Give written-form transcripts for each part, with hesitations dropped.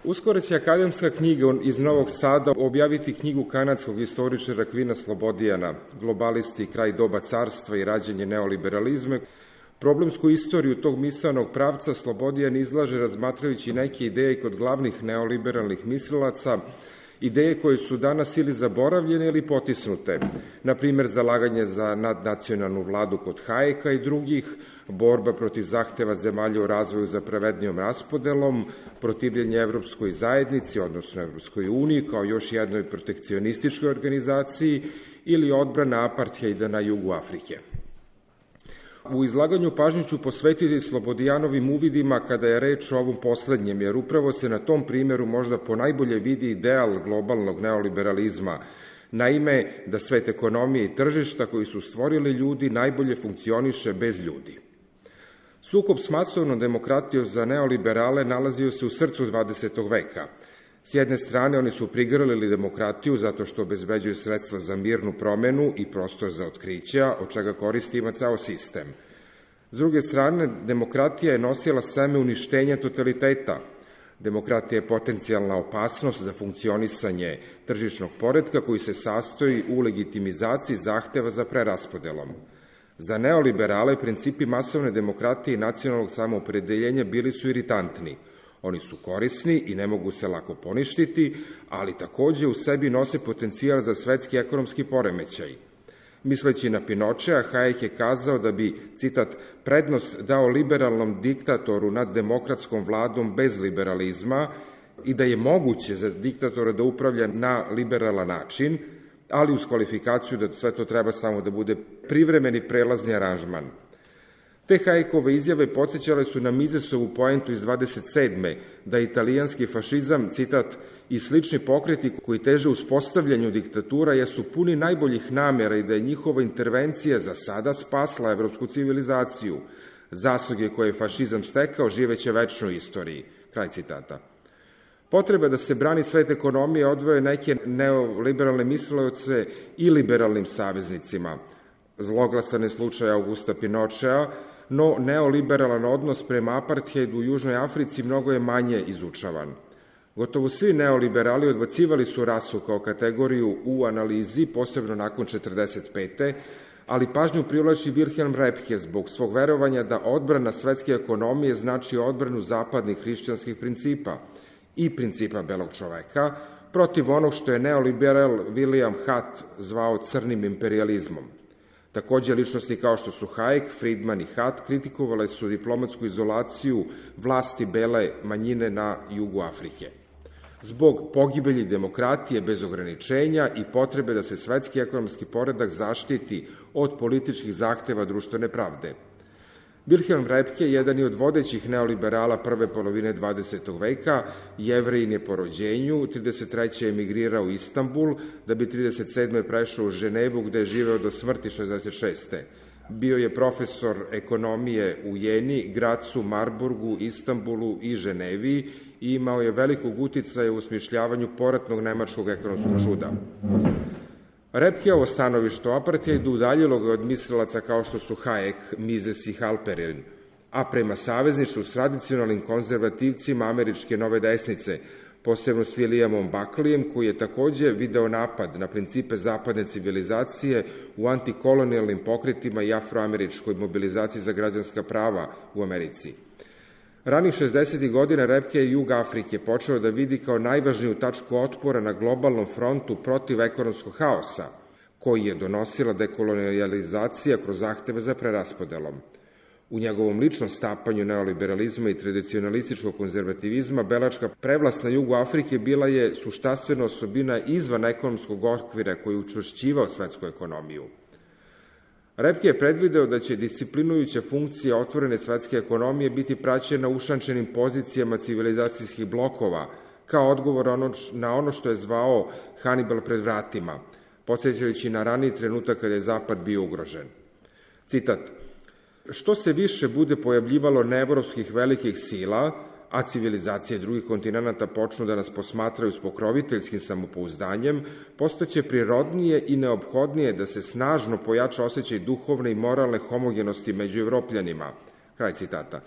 Uskoro će akademska knjiga iz Novog Sada objaviti knjigu kanadskog istoričara Kvina Slobodijana, Globalisti, kraj doba carstva i rađenje neoliberalizma. Problemsku istoriju tog misaonog pravca Slobodijan izlaže razmatrajući neke ideje kod glavnih neoliberalnih mislilaca, ideje koje su danas ili zaboravljene ili potisnute, na primer zalaganje za nadnacionalnu vladu kod Hayeka i drugih, borba protiv zahteva zemalja u razvoju za pravednijom raspodelom, protivljenje Evropskoj zajednici, odnosno Evropskoj uniji, kao još jednoj protekcionističkoj organizaciji, ili odbrana apartheida na jugu Afrike. U izlaganju pažnju ću posvetiti Slobodijanovim uvidima kada je reč o ovom poslednjem, jer upravo se na tom primjeru možda ponajbolje vidi ideal globalnog neoliberalizma. Naime, da svet ekonomije i tržišta koji su stvorili ljudi najbolje funkcioniše bez ljudi. Sukob s masovnom demokratijom za neoliberale nalazio se u srcu 20. veka. S jedne strane, oni su prigrlili demokratiju zato što obezbeđuju sredstva za mirnu promenu i prostor za otkrića, od čega koristi ima ceo sistem. S druge strane, demokratija je nosila seme uništenja totaliteta. Demokratija je potencijalna opasnost za funkcionisanje tržišnog poretka koji se sastoji u legitimizaciji zahteva za preraspodelom. Za neoliberale principi masovne demokratije i nacionalnog samoopredeljenja bili su iritantni. Oni su korisni i ne mogu se lako poništiti, ali takođe u sebi nose potencijal za svetski ekonomski poremećaj. Misleći na Pinochea, Hayek je kazao da bi, citat, prednost dao liberalnom diktatoru nad demokratskom vladom bez liberalizma i da je moguće za diktatora da upravlja na liberalan način, ali uz kvalifikaciju da sve to treba samo da bude privremeni prelazni aranžman. Te Hayekove izjave podsjećale su na Misesovu poentu iz 27. da italijanski fašizam, citat, i slični pokreti koji teže uspostavljanju diktatura jesu puni najboljih namera i da je njihova intervencija za sada spasla evropsku civilizaciju. Zasluge koje je fašizam stekao živeće večno u istoriji. Kraj citata. Potreba da se brani svet ekonomije odvoje neke neoliberalne misleoce i liberalnim saveznicima. Zloglasan je slučaj Augusta Pinochea, no neoliberalan odnos prema apartheidu u Južnoj Africi mnogo je manje izučavan. Gotovo svi neoliberali odbacivali su rasu kao kategoriju u analizi, posebno nakon 1945. ali pažnju privlači Wilhelm Röpke zbog svog verovanja da odbrana svetske ekonomije znači odbranu zapadnih hrišćanskih principa i principa belog čoveka, protiv onog što je neoliberal William Hutt zvao crnim imperializmom. Takođe, ličnosti kao što su Hayek, Friedman i Hutt kritikovale su diplomatsku izolaciju vlasti bele manjine na jugu Afrike. Zbog pogibelji demokratije bez ograničenja i potrebe da se svetski ekonomski poredak zaštiti od političkih zahteva društvene pravde. Wilhelm Röpke, jedan je od vodećih neoliberala prve polovine 20. veka, Jevrejin je po rođenju, 33. emigrirao u Istanbul, da bi 37. prešao u Ženevu, gde je živeo do smrti 66. Bio je profesor ekonomije u Jeni, Gracu, Marburgu, Istanbulu i Ženevi i imao je velikog uticaja u osmišljavanju poratnog nemačkog ekonomskog čuda. Röpkeovo stanovište o apartheidu udaljilo ga od mislilaca kao što su Hayek, Mises i Halperin, a prema savezništvu s tradicionalnim konzervativcima američke nove desnice, posebno s Williamom Buckleyem, koji je takođe video napad na principe zapadne civilizacije u antikolonijalnim pokretima i afroameričkoj mobilizaciji za građanska prava u Americi. Ranih 60. godina Röpke je jug Afrike počeo da vidi kao najvažniju tačku otpora na globalnom frontu protiv ekonomskog haosa, koji je donosila dekolonijalizacija kroz zahteve za preraspodelom. U njegovom ličnom stapanju neoliberalizma i tradicionalističkog konzervativizma belačka prevlast na jugu Afrike bila je suštanstvena osobina izvan ekonomskog okvira koji je učvršćivao svetsku ekonomiju. Röpke je predvideo da će disciplinujuća funkcija otvorene svetske ekonomije biti praćena ušančenim pozicijama civilizacijskih blokova, kao odgovor na ono što je zvao Hannibal pred vratima, podsjećajući na raniji trenutak kada je Zapad bio ugrožen. Citat: što se više bude pojavljivalo neevropskih velikih sila, a civilizacije drugih kontinenta počnu da nas posmatraju s pokroviteljskim samopouzdanjem, postaće prirodnije i neophodnije da se snažno pojača osjećaj duhovne i moralne homogenosti među Evropljanima. Kraj citata.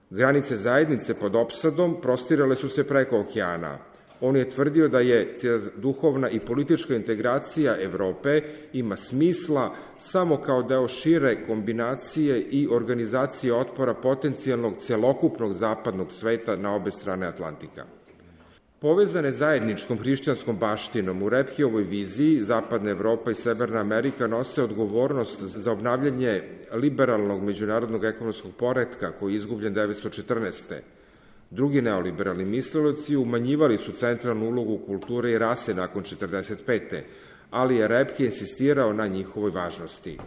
Granice zajednice pod opsadom prostirale su se preko okeana. On je tvrdio da je duhovna i politička integracija Evrope ima smisla samo kao deo šire kombinacije i organizacije otpora potencijalnog celokupnog zapadnog sveta na obe strane Atlantika. Povezane zajedničkom hrišćanskom baštinom u Repkijevoj viziji Zapadna Evropa i Severna Amerika nose odgovornost za obnavljanje liberalnog međunarodnog ekonomskog poretka koji je izgubljen 1914. Drugi neoliberalni misleloci umanjivali su centralnu ulogu kulture i rase nakon 1945. ali je Repke insistirao na njihovoj važnosti.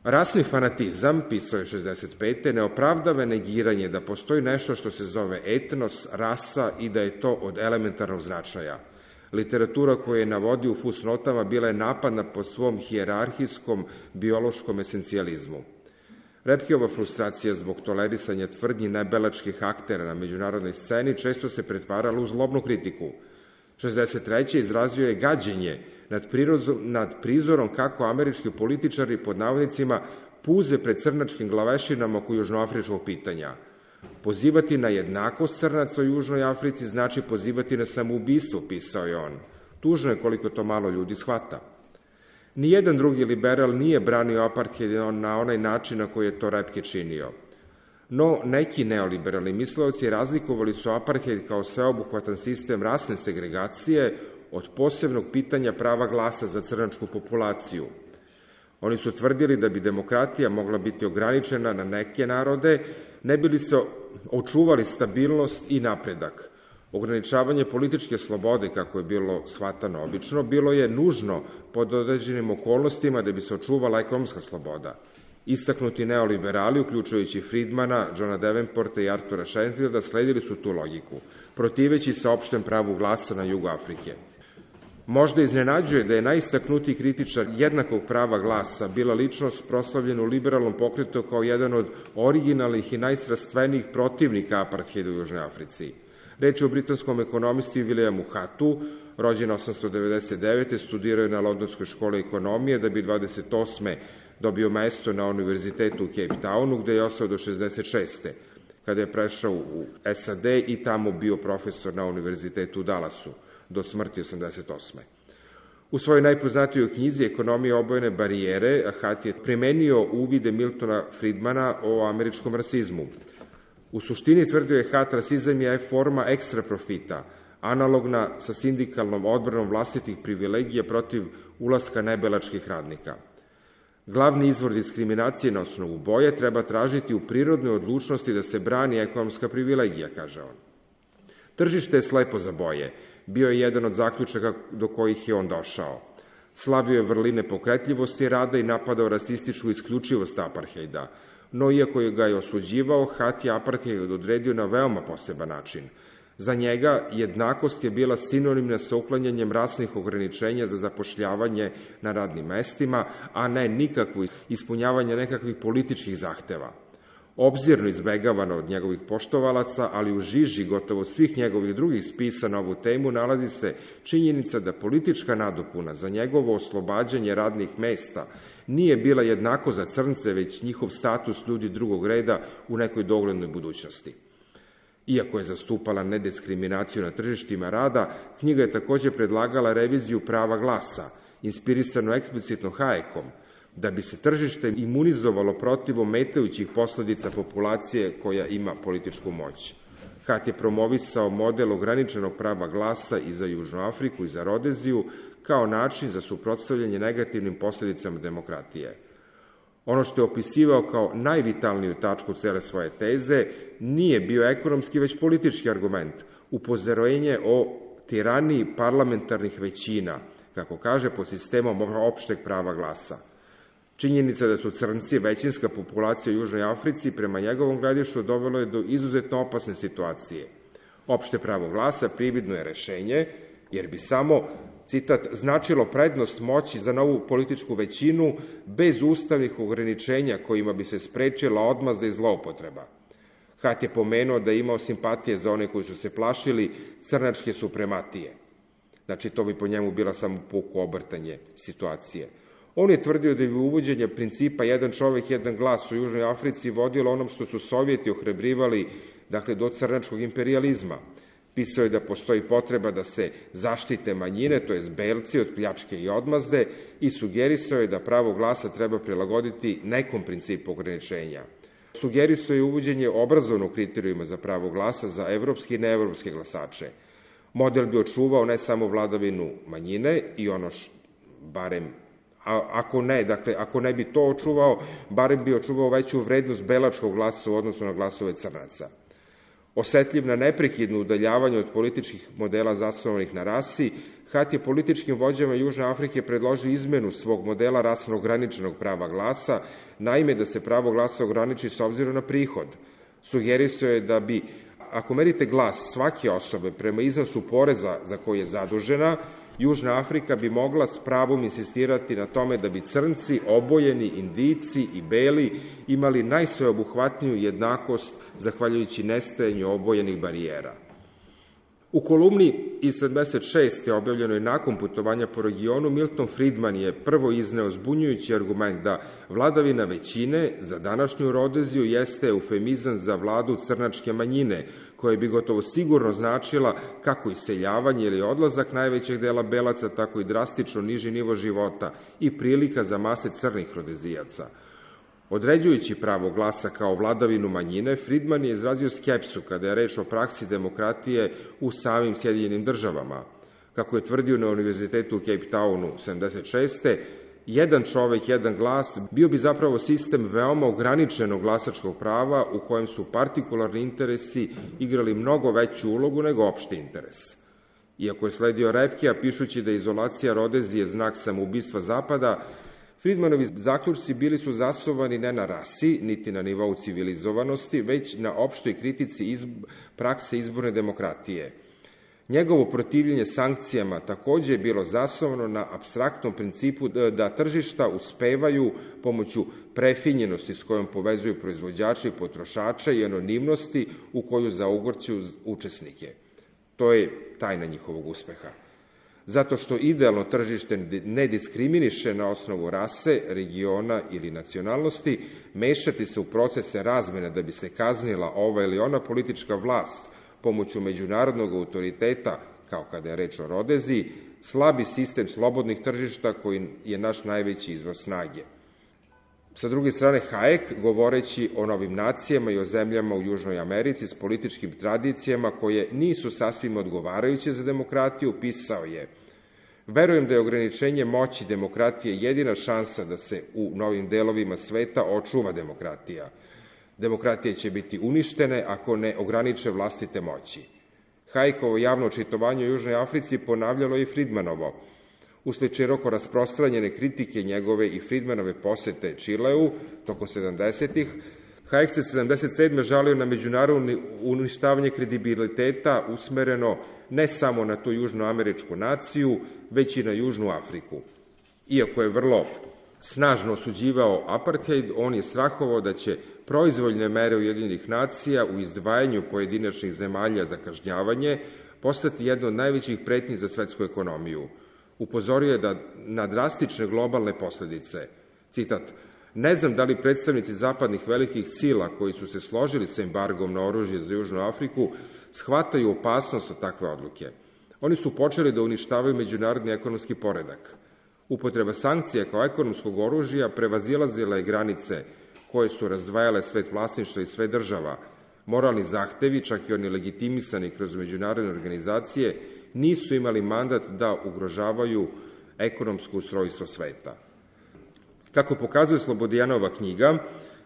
Rasni fanatizam, pisao je 1965. ne opravdava negiranje da postoji nešto što se zove etnos, rasa i da je to od elementarnog značaja. Literatura koju je navodio u fusnotama bila je napadna po svom hijerarhijskom biološkom esencijalizmu. Repkijeva frustracija zbog tolerisanja tvrdnji nebelačkih aktera na međunarodnoj sceni često se pretvarala u zlobnu kritiku. 1963. izrazio je gađenje nad prizorom kako američki političari pod navodnicima puze pred crnačkim glavešinama oko južnoafričkog pitanja. Pozivati na jednakost crnaca u Južnoj Africi znači pozivati na samoubistvo, pisao je on. Tužno je koliko to malo ljudi shvata. Nijedan drugi liberal nije branio apartheid na onaj način na koji je to Repke činio. No, neki neoliberalni misleoci razlikovali su apartheid kao sveobuhvatan sistem rasne segregacije od posebnog pitanja prava glasa za crnačku populaciju. Oni su tvrdili da bi demokratija mogla biti ograničena na neke narode, ne bi li se očuvali stabilnost i napredak. Ograničavanje političke slobode, kako je bilo shvatano obično, bilo je nužno pod određenim okolnostima da bi se očuvala ekonomska sloboda. Istaknuti neoliberali, uključujući Friedmana, Johna Davenporta i Artura Sheinfelda, sledili su tu logiku, protiveći se opštem pravu glasa na jugu Afrike. Možda iznenađuje da je najistaknutiji kritičar jednakog prava glasa bila ličnost proslavljena u liberalnom pokretu kao jedan od originalnih i najstrastvenijih protivnika apartheida u Južnoj Africi. Reč je o britanskom ekonomisti Williamu Hattu, rođen 1899. studirao je na Londonskoj školi ekonomije da bi 28. dobio mesto na univerzitetu u Cape Townu, gde je ostao do 66. kada je prešao u SAD i tamo bio profesor na univerzitetu u Dallasu do smrti 88. U svojoj najpoznatijoj knjizi Ekonomija obojene barijere, Hatt je primenio uvide Miltona Friedmana o američkom rasizmu. U suštini, tvrdio je Hatt, rasizam je forma ekstra profita, analogna sa sindikalnom odbranom vlastitih privilegija protiv ulaska nebelačkih radnika. Glavni izvor diskriminacije na osnovu boje treba tražiti u prirodnoj odlučnosti da se brani ekonomska privilegija, kaže on. Tržište je slepo za boje, bio je jedan od zaključaka do kojih je on došao. Slavio je vrline pokretljivosti rada i napadao rasističku isključivost apartheida, no iako je ga je osuđivao, Hatt je apartheid odredio na veoma poseban način. Za njega jednakost je bila sinonimna sa uklanjanjem rasnih ograničenja za zapošljavanje na radnim mestima, a ne nikakvo ispunjavanje nekakvih političkih zahteva. Obzirno izbegavano od njegovih poštovalaca, ali u žiži gotovo svih njegovih drugih spisa na ovu temu nalazi se činjenica da politička nadopuna za njegovo oslobađanje radnih mesta nije bila jednako za crnce, već njihov status ljudi drugog reda u nekoj doglednoj budućnosti. Iako je zastupala nediskriminaciju na tržištima rada, knjiga je takođe predlagala reviziju prava glasa, inspirisano eksplicitno Hayekom, da bi se tržište imunizovalo protiv ometajućih posledica populacije koja ima političku moć. Hatt je promovisao model ograničenog prava glasa i za Južnu Afriku i za Rodeziju kao način za suprotstavljanje negativnim posledicama demokratije. Ono što je opisivao kao najvitalniju tačku cele svoje teze nije bio ekonomski, već politički argument, upozorenje o tiraniji parlamentarnih većina, kako kaže, pod sistemom opšteg prava glasa. Činjenica da su crnci većinska populacija u Južnoj Africi prema njegovom gledištu dovelo je do izuzetno opasne situacije. Opšte pravo glasa prividno je rešenje, jer bi samo, citat, značilo prednost moći za novu političku većinu bez ustavnih ograničenja kojima bi se sprečila odmazda i zloupotreba. Hatt je pomenuo da je imao simpatije za one koji su se plašili crnačke suprematije. Znači, to bi po njemu bila samo puko obrtanje situacije. On je tvrdio da bi uvođenje principa jedan čovek, jedan glas u Južnoj Africi vodilo onom što su Sovjeti ohrabrivali, dakle, do crnačkog imperijalizma. Pisao je da postoji potreba da se zaštite manjine, to jest belci, od pljačke i odmazde, i sugerisao je da pravo glasa treba prilagoditi nekom principu ograničenja. Sugerisao je uvođenje obrazovnog kriterijuma za pravo glasa za evropske i neevropske glasače. Model bi očuvao ne samo vladavinu manjine i ono barem, ako ne bi to očuvao, barem bi očuvao veću vrednost belačkog glasa u odnosu na glasove crnaca. Osetljiv na neprekidno udaljavanje od političkih modela zasnovanih na rasi, Hat je političkim vođama Južne Afrike predložio izmenu svog modela rasno ograničenog prava glasa, naime da se pravo glasa ograniči s obzirom na prihod. Sugerisao je da bi, ako merite glas svake osobe prema iznosu poreza za koji je zadužena, Južna Afrika bi mogla s pravom insistirati na tome da bi crnci, obojeni, indijci i beli imali najsveobuhvatniju jednakost zahvaljujući nestajanju obojenih barijera. U kolumni iz 76. objavljenoj nakon putovanja po regionu, Milton Friedman je prvo izneo zbunjujući argument da vladavina većine za današnju Rodeziju jeste eufemizam za vladu crnačke manjine, koja bi gotovo sigurno značila kako iseljavanje ili odlazak najvećeg dela belaca, tako i drastično niži nivo života i prilika za mase crnih rodezijaca. Određujući pravo glasa kao vladavinu manjine, Friedman je izrazio skepsu kada je reč o praksi demokratije u samim Sjedinjenim državama. Kako je tvrdio na Univerzitetu u Cape Townu 76. jedan čovek, jedan glas bio bi zapravo sistem veoma ograničenog glasačkog prava u kojem su partikularni interesi igrali mnogo veću ulogu nego opšti interes. Iako je sledio Repkea, pišući da je izolacija Rodezije znak samoubistva Zapada, Friedmanovi zaključci bili su zasnovani ne na rasi, niti na nivou civilizovanosti, već na opštoj kritici prakse izborne demokratije. Njegovo protivljenje sankcijama takođe je bilo zasnovano na apstraktnom principu da tržišta uspevaju pomoću prefinjenosti s kojom povezuju proizvođače i potrošača i anonimnosti u koju zaugorću učesnike. To je tajna njihovog uspeha. Zato što idealno tržište ne diskriminiše na osnovu rase, regiona ili nacionalnosti, mešati se u procese razmene da bi se kaznila ova ili ona politička vlast pomoću međunarodnog autoriteta, kao kada je reč o Rodeziji, slabi sistem slobodnih tržišta koji je naš najveći izvor snage. Sa druge strane, Hayek, govoreći o novim nacijama i o zemljama u Južnoj Americi s političkim tradicijama koje nisu sasvim odgovarajuće za demokratiju, pisao je: verujem da je ograničenje moći demokratije jedina šansa da se u novim delovima sveta očuva demokratija. Demokratije će biti uništene ako ne ograniče vlastite moći. Hayekovo javno očitovanje u Južnoj Africi ponavljalo i Friedmanovo. Usled široko rasprostranjene kritike njegove i Friedmanove posete Čileu tokom 70-ih, Hayek se 77. žalio na međunarodno uništavanje kredibiliteta usmereno ne samo na tu južnoameričku naciju, već i na Južnu Afriku. Iako je vrlo snažno osuđivao apartheid, on je strahovao da će proizvoljne mere Ujedinjenih nacija u izdvajanju pojedinačnih zemalja za kažnjavanje postati jedna od najvećih pretnji za svetsku ekonomiju. Upozorio je na drastične globalne posledice. Citat: ne znam da li predstavnici zapadnih velikih sila koji su se složili sa embargom na oružje za Južnu Afriku shvataju opasnost od takve odluke. Oni su počeli da uništavaju međunarodni ekonomski poredak. Upotreba sankcija kao ekonomskog oružja prevazilazila je granice koje su razdvajale svet vlasništva i sve država. Moralni zahtevi, čak i oni legitimisani kroz međunarodne organizacije, nisu imali mandat da ugrožavaju ekonomsko ustrojstvo sveta. Kako pokazuje Slobodijanova knjiga,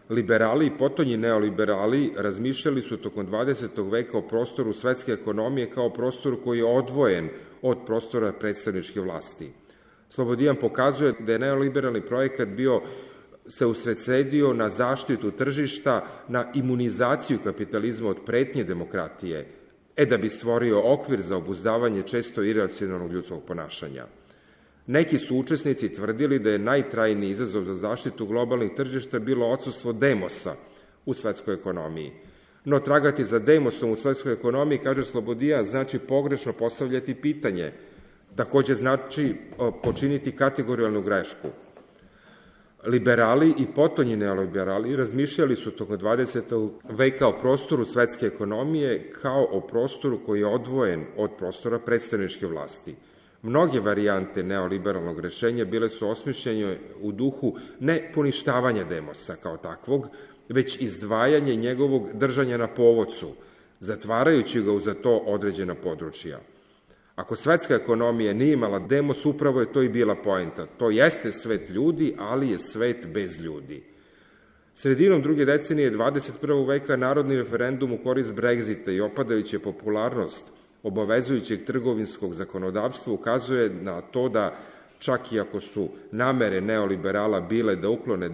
liberali i potonji neoliberali razmišljali su tokom 20. veka o prostoru svetske ekonomije kao prostoru koji je odvojen od prostora predstavničke vlasti. Slobodijan pokazuje da je neoliberalni projekat se usredsredio na zaštitu tržišta, na imunizaciju kapitalizma od pretnje demokratije, da bi stvorio okvir za obuzdavanje često iracionalnog ljudskog ponašanja. Neki su učesnici tvrdili da je najtrajniji izazov za zaštitu globalnih tržišta bilo odsustvo demosa u svetskoj ekonomiji. No tragati za demosom u svetskoj ekonomiji, kaže Slobodijan, znači pogrešno postavljati pitanje. Takođe znači počiniti kategorijalnu grešku. Liberali i potonji neoliberali razmišljali su tokom 20. veka o prostoru svetske ekonomije kao o prostoru koji je odvojen od prostora predstavničke vlasti. Mnoge varijante neoliberalnog rešenja bile su osmišljene u duhu ne poništavanja demosa kao takvog, već izdvajanje njegovog držanja na povodcu, zatvarajući ga u za to određena područja. Ako svetska ekonomija nije imala demos, upravo je to i bila poenta. To jeste svet ljudi, ali je svet bez ljudi. Sredinom druge decenije 21. veka narodni referendum u korist Brexita i opadajuća popularnost obavezujućeg trgovinskog zakonodavstva ukazuje na to da, čak i ako su namere neoliberala bile da uklone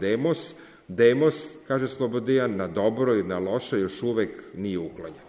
demos, kaže Slobodijan, na dobro i na loše još uvek nije uklonjen.